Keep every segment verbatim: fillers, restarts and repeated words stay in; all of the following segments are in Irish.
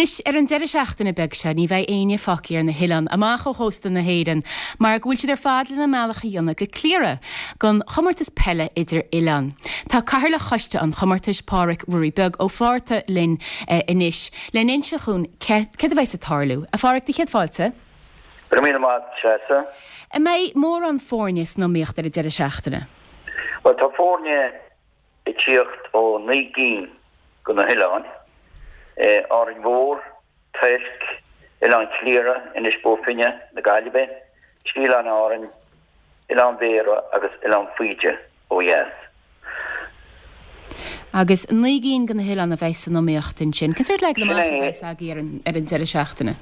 Anois, ar an deireadh seachtaine beag seo, ní bheidh éinne fágtha ar na hoileáin amach ó chósta na hÉireann mar go bhfuil siad ar fad lena mbealach a dhéanamh go Cliara don chomórtas peile idir oileáin. Tá Cathaoirleach Choiste an Chomórtais, Pádhraic Ruairí Beag Ó Fátharta linn anois le n-inse dhúinn céard a bheas ag tarlú. A Phádhraic, do chéad fáilte. Go raibh míle maith, Treasa. An mbeidh mórán foirne san iomaíocht ar an deireadh seachtaine? Bhuel, tá foirne ag tíocht ó naoi gcinn de na hoileáin, Árainn Mhór, Toirc, Oileán Chliara, Inis Bó Finne, na Gaillimhe, trí Oileáin Árainn, Oileán Bhéarra agus Oileán Faoide ó dheas. Agus naoi gcinn de na hoileáin a bheidh san iomaíocht ansin. Cén sórt leagan amach a bheas agaibh ar an ar an deireadh seachtaine?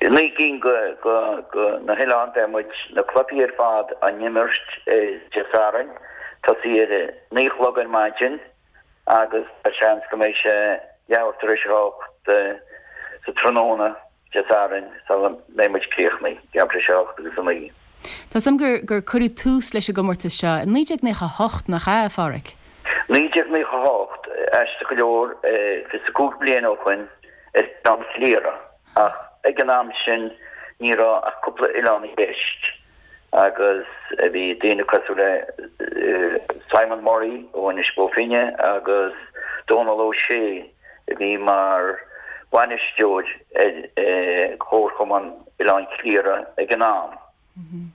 Naoi gcinn de na hoileáin, beidh muid na cluichí ar fad á n-imirt Dé Sathairn, tosaí ar a naoi a chlog ar maidin agus tá seans go mbeidh sé leathuair tar éis a hocht sa tráthnóna Dé Sathairn sula mbeidh muid críochnaithe, leathuair tar éis a hocht agus a naoi. Tá 'fhios a'm gur gur cuireadh tús leis an gcomórtas seo i naoi déag naocha a hocht, nach ea, a Phádhraic? Naoi déag naocha a hocht, aisteach go leor, fiche is a cúig bliain ó shoin, ar Oileán Chliara. Ach ag an am sin ní raibh ach cúpla oileán i gceist agus bhí daoine cosúil le Simon Murray ó Inis Bó Finne agus Dónal Ó Sé a bhí mar bhainisteoir ar Chomharchumann Oileán Chliara ag an am.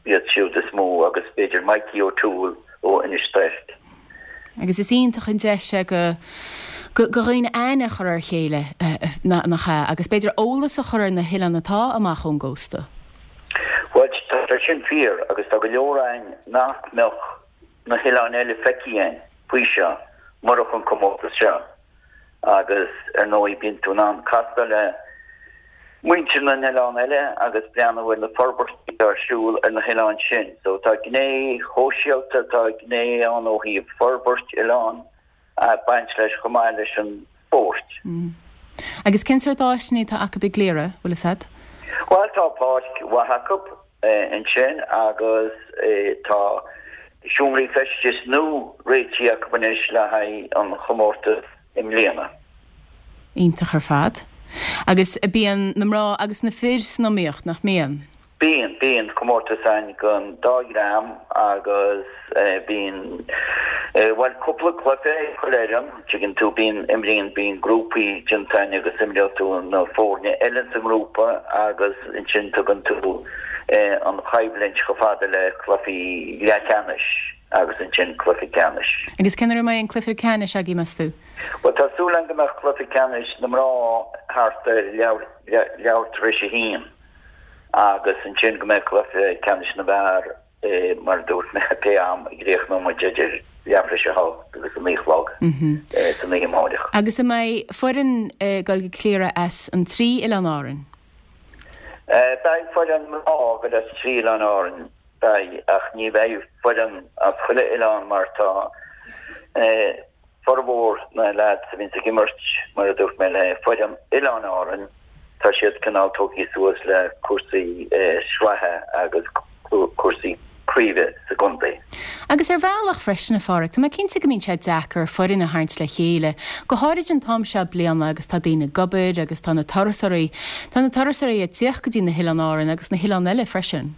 Iad siúd is mó agus b'fhéidir Mikey O'Toole ó Inis Toirc. Agus is iontach an deis é go go dhaoine aithne a chur ar a chéile, nach ea, agus b'fhéidir eolas a chur ar na hoileáin atá amach ón gcósta. Bhuel, tá sé sin fíor agus tá go leor againn nach mbeadh na hoileáin eile feicthe againn faoi seo murach an comórtas seo. Agus ar ndóigh bíonn tú in ann castáil le muintir na n-oileán eile agus breathnú ar na forbairtí atá ar siúl ar na hoileáin sin. So tá gné shóisialta, tá gné ann ó thaobh forbairt oileán ag baint leis chomh maith leis an spórt. Agus cén sórt áiseanna atá acu i gCliara, bhfuil fhios a'd? Bhuel tá páirc mhaith acu ansin agus tá seomraí feistis nua réitithe acu anois le haghaidh an chomórtais i mbliana. Iontach ar fad. Agus bíonn na mná agus na fir san iomaíocht, nach mbíonn? Bíonn, bíonn comórtas ann don dá dhream agus bíonn, bhuel, cúpla cluiche ag chuile fhoireann, tuigeann tú, bíonn, imríonn, bíonn grúpaí déanta ann agus imreoidh tú na foirne eile sa ngrúpa agus ansin tugann tú an choimhlint chomh fada le cluichí leathcheannais agus ansin cluiche ceannais. Agus cén uair a mbeidh an cluiche ceannais agaibh, meas tú? Bhuel, tá súil agam go mbeadh cluiche ceannais na mná thart ar leathuair tar éis a haon agus ansin go mbeidh cluiche ceannais na bhfear, mar a dúirt mé, pé am a gcríochnóidh muid idir leathuair tar éis a hocht agus a naoi a chlog san oíche amárach. Agus an mbeidh foireann ag dul go Cliara as an trí Oileán Árann? Beidh foireann mná ag dul as trí Oileán Árann, beidh, ach ní bheidh foireann as chuile oileán mar tá formhór na leaids a bhíonns ag imirt, mar a dúirt mé, le foireann Oileáin Árann, tá siad cineál tógtha suas le cúrsaí sraithe agus cúrsaí craoibhe sa gcontae. Agus ar bhealach freisin, a Pháraic, tá mé cinnte go mbíonn sé deacair foireann a tharraingt le chéile, go háirid an t-am seo bliana agus tá daoine ag obair agus tá na turasóirí, tá na turasóirí ag tíocht go dtí na hOileáin Árann agus na hoileáin eile freisin.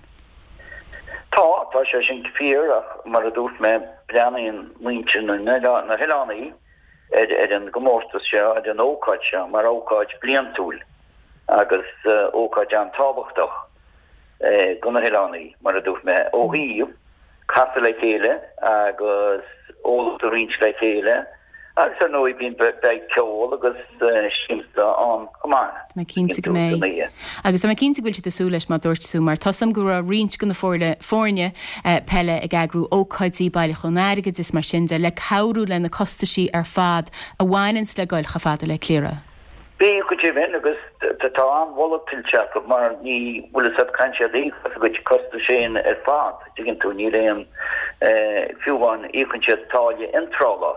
Tá, tá sé sin fíor ach mar a dúirt mé, breathnaíonn muintir na n-oileán, na hoileánaí ar ar an gcomórtas seo, ar an ócáid seo mar ócáid bliantúil agus ócáid an-tábhachtach. do na hoileánaí, mar a dúirt mé, ó thaobh casadh le chéile agus eolas a roinnt le chéile agus ar ndóigh bíonn, beidh ceol agus siamsa ann chomh maith. Tá mé cinnte go mbeidh. Agus tá mé cinnte go bhfuil siad ag súil leis mar a dúirt tú, mar tá 'fhios a'm go raibh roinnt de na foirne, foirne peile ag eagrú ócáidí, bailiúchán airgid is mar sin de, le cabhrú le na costaisí ar fad a bhaineanns le goil chomh fada le Cliara. Bíonn go deimhin, agus tá an-mholadh tuillte acu mar ní, bhfuil fhios a't, caitheann siad íoc as a gcuid costais féin ar fad, tuigeann tú, níl aon, fiú amháin íocann siad táille iontrála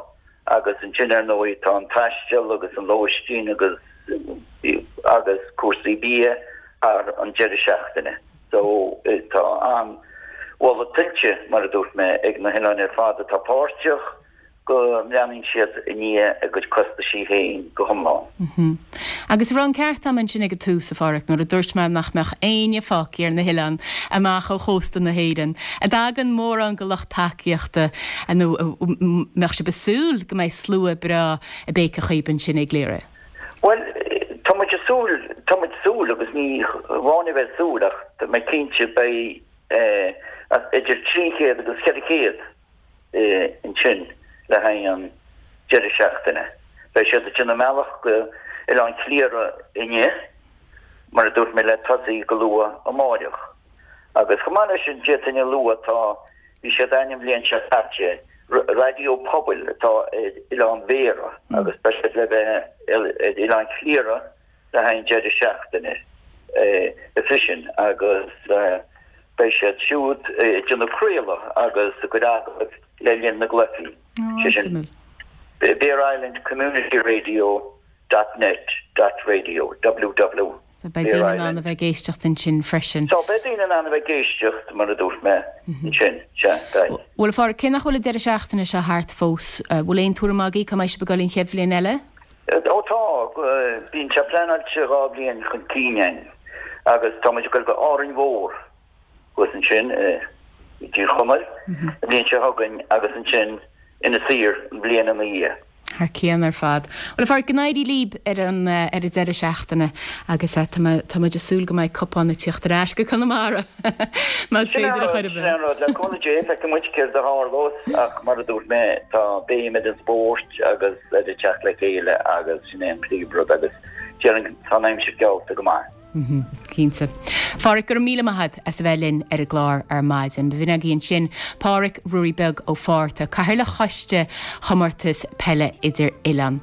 agus ansin ar ndóigh tá an taisteal agus an lóistín agus, agus cúrsaí bia thar an deireadh seachtaine. So tá an-mholadh tuillte, mar a dúirt mé, ag na hoileáin ar fad atá páirteach. go mbreathnaíonn siad i ndiaidh a gcuid costaisí féin go hiomlán. Agus raibh an ceart agam ansin ag an tús, a Pháraic, nuair a dúirt mé nach mbeadh éinne fágtha ar na hoileáin amach ó chósta na hÉireann. An dtagann mórán de lucht tacaíochta nó mbeadh sibh ag súil go mbeidh slua breá ag béiceadh chugaibh ansin i gCliara? Bhuel, tá muid ag súil, tá muid ag súil agus ní amháin a bheith ag súil ach tá mé cinnte beidh idir trí chéad agus ceithre chéad ansin le haghaidh an deireadh seachtaine. Beidh siad ag déanamh a mbealach go Oileán Chliara inniu, mar a dúirt mé, le tosaí go luath amáireach. Agus chomh maith leis sin, d'fhéadfainn a lua, tá, bhí siad a'inn an bhliain seo caite, raidió pobail atá ar Oileán Bhéarra agus beidh siad le bheith ar Oileán Chliara le haghaidh an deireadh seachtaine freisin agus beidh siad siúd ag déanamh craoladh agus ag cur agallamh le linn na gcluichí. Sé sin Bere Island Community Radio dot net dot radio ww. So beidh daoine in ann a bheith ag éisteacht ansin freisin. So beidh daoine in ann a bheith ag éisteacht, mar a dúirt mé, ansin, sea, beidh. Bhuel, a Pháraic, cé nach bhfuil an deireadh seachtaine seo thart fós, bhfuil aon tuairim agaibh cá mbeidh sibh ag dul an chéad bhliain eile? Ó tá, bíonn sé pleanáilte dhá bhliain chun cinn againn agus tá muid ag dul go Árainn Mhór thuas ansin i dTír Chonaill an bhliain seo chugainn agus ansin Inis Oírr an bhliain ina dhiaidh. Thar cionn ar fad. Bhuel, a Pháraic, go n-éirí libh ar an ar an deireadh seachtaine agus tá tá muid ag súil go mbeidh cupán ag tíocht ar ais go Conamara más Sin féidir an a rud, chur ar sin bith. an rud. Le cúnamh Dé, feicfidh muid céard a tharlós ach mar a dúirt mé, tá béim ar an spórt agus ar an teacht le chéile agus sin é an príomhrud agus déarfainn tá an aimsir geallta go maith. Cinnte. Pháraic, go raibh míle maith agat as a bheith linn ar an gclár ar maidin. B'in againn ansin Páraic Ruairí Beag Ó Fátharta, Cathaoirleach Choiste Chomórtas Peile Idir-Oileán.